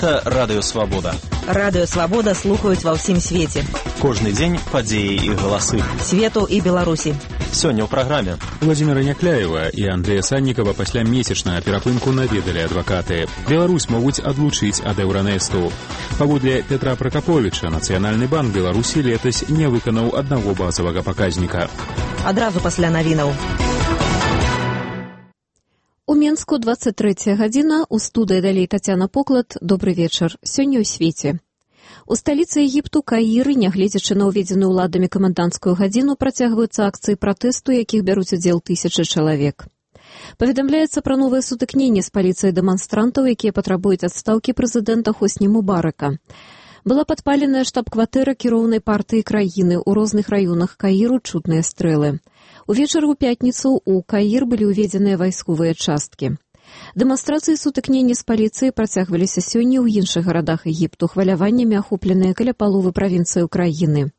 Гэта Радыё Свабода. Радыё Свабода слухаюць ва ўсім свеце. Кожны дзень падзеі і галасы. Свету і Беларусі. Сёння ў праграме. Владзіміра Някляева і Андрэя Саннікава пасля месячнага перапынку наведалі адвакаты. Беларусь могуць адлучыць ад Еўранэсту. Паводле Петра Пракаповіча, Нацыянальны банк Беларусі летась не выканаў аднаго базавага паказніка. Адразу пасля навінаў. У Менску 23 гадзіна, у студыі далей Тацяна Поклад. Добры вечар. Сёння ў свеце. У сталіцы Егіпту Каіры, нягледзячы на ўведзеную ўладамі каменданцкую гадзіну, працягваюцца акцыі пратэсту, якіх бяруць удзел тысячы чалавек. Паведамляецца пра новыя сутыкненні з паліцыяй дэманстрантаў, якія патрабуюць адстаўкі прэзідэнта Хосні Мубарака. Была падпаленая штаб-кватэра кіроўнай партыі краіны. У розных раёнах Каіру чутныя стрэлы. Увечары ў пятніцу ў Каір былі ўведзеныя вайсковыя часткі. Дэманстрацыі сутыкнення з паліцыяй працягваліся сёння ў іншых гарадах Егіпту, хваляваннямі ахопленыя каля паловы правінцыяў краіны.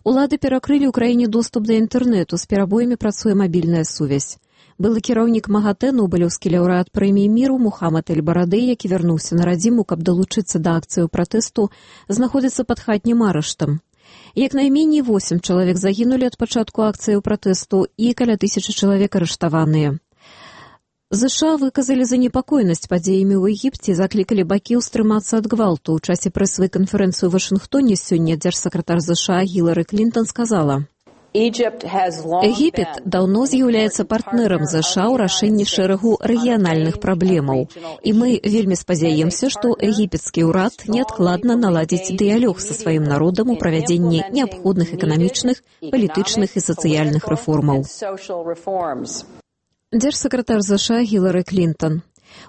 Улады перакрылі ў краіне доступ да інтэрнэту, з перабоямі працуе мабільная сувязь. Былы кіраўнік МАГАТЭ, нобелеўскі лаўрэат прэміі міру Мухаммад эль-Барады, які вярнуўся на радзіму, каб далучыцца да акцыяў пратэсту, знаходзіцца пад хатнім арыштам. Як найменей 8 чалавек загінулі ад пачатку акцыяў пратэсту і каля 1000 чалавек арыштаваныя. ЗША выказалі занепакоенасць падзеямі ў Егіпце і заклікалі бакі ўстрымацца ад гвалту. У часе прэсавай канферэнцыі ў Вашынгтоне сёння дзяржсакратар ЗША Гілары Клінтон сказала: Егіпет даўно з'яўляецца партнерам ЗША ў рашэнні шэрагу рэгіянальных праблемаў. І мы вельмі спадзяемся, што егіпецкі ўрад неадкладна наладзіць дыялог са сваім народам у правядзенні неабходных эканамічных, палітычных і сацыяльных рэформаў. Дзяржсакратар ЗША Гілары Клінтон.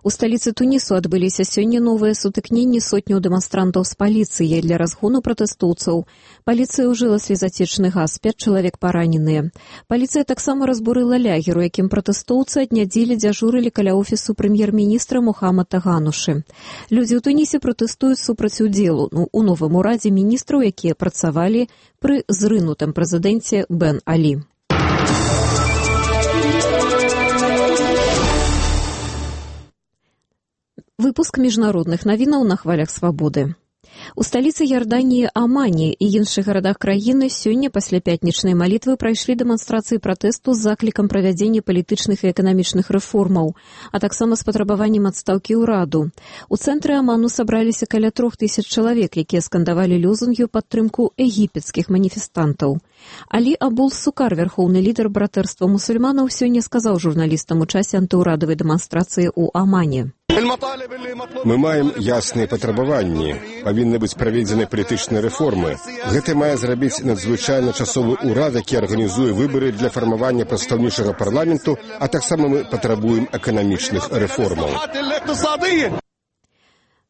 У сталіцы Тунісу адбыліся сёння новыя сутыкненні сотняў дэманстрантаў з паліцыяй для разгону пратэстоўцаў. Паліцыя ўжыла слезацечны газ, 5 чалавек параненыя. Паліцыя таксама разбурыла лягер, у якім пратэстоўцы ад нядзелі дзяжурылі каля офісу прэм'ер-міністра Мухаммада Ганушы. Людзі ў Тунісе пратэстуюць супраць удзелу у новым урадзе міністраў, якія працавалі пры зрынутым прэзідэнце Бен Алі. Выпуск міжнародных навінаў на хвалях свабоды. У сталіцы Ярданіі Амані і іншых гарадах краіны сёння пасля пятнічнай малітвы прайшлі дэманстрацыі пратэсту з заклікам правядзення палітычных і эканамічных рэформаў, а таксама з патрабаваннем адстаўкі ўраду. У цэнтры Аману сабраліся каля 3000 чалавек, якія скандавалі лозунгі ў падтрымку егіпецкіх маніфестантаў. Алі Абул-Сукар, вярхоўны лідар братэрства мусульманаў, сёння сказаў журналістам у часе антыўрадавай дэманстрацыі ў Амане: Мы маем ясныя патрабаванні. Павінны быць праведзены палітычныя рэформы. Гэта мае зрабіць надзвычайна часовы ўрад, які арганізуе выбары для фармавання прадстаўнічага парламенту, а таксама мы патрабуем эканамічных рэформаў.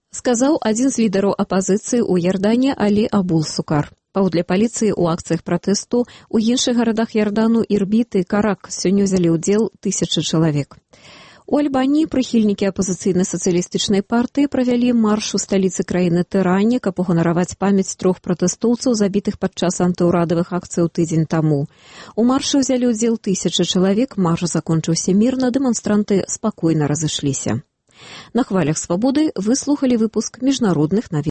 Сказаў адзін з лідараў апазіцыі ў Ярдане Алі Абул-Сукар. Паводле паліцыі ў акцыях пратэсту у іншых гарадах Ярдану Ірбіт і Карак сёння ўзялі ўдзел 1000 чалавек. У Альбаніі прыхільнікі апазіцыйнай сацыялістычнай партыі правялі марш у сталіцы краіны Тэране, каб уганараваць памяць 3 пратэстоўцаў, забітых падчас антыўрадавых акцыяў тыдзень таму. У маршы ўзялі ўдзел 1000 чалавек, марш закончыўся мірна, дэманстранты спакойна разышліся. На хвалях свабоды вы слухалі выпуск міжнародных навін.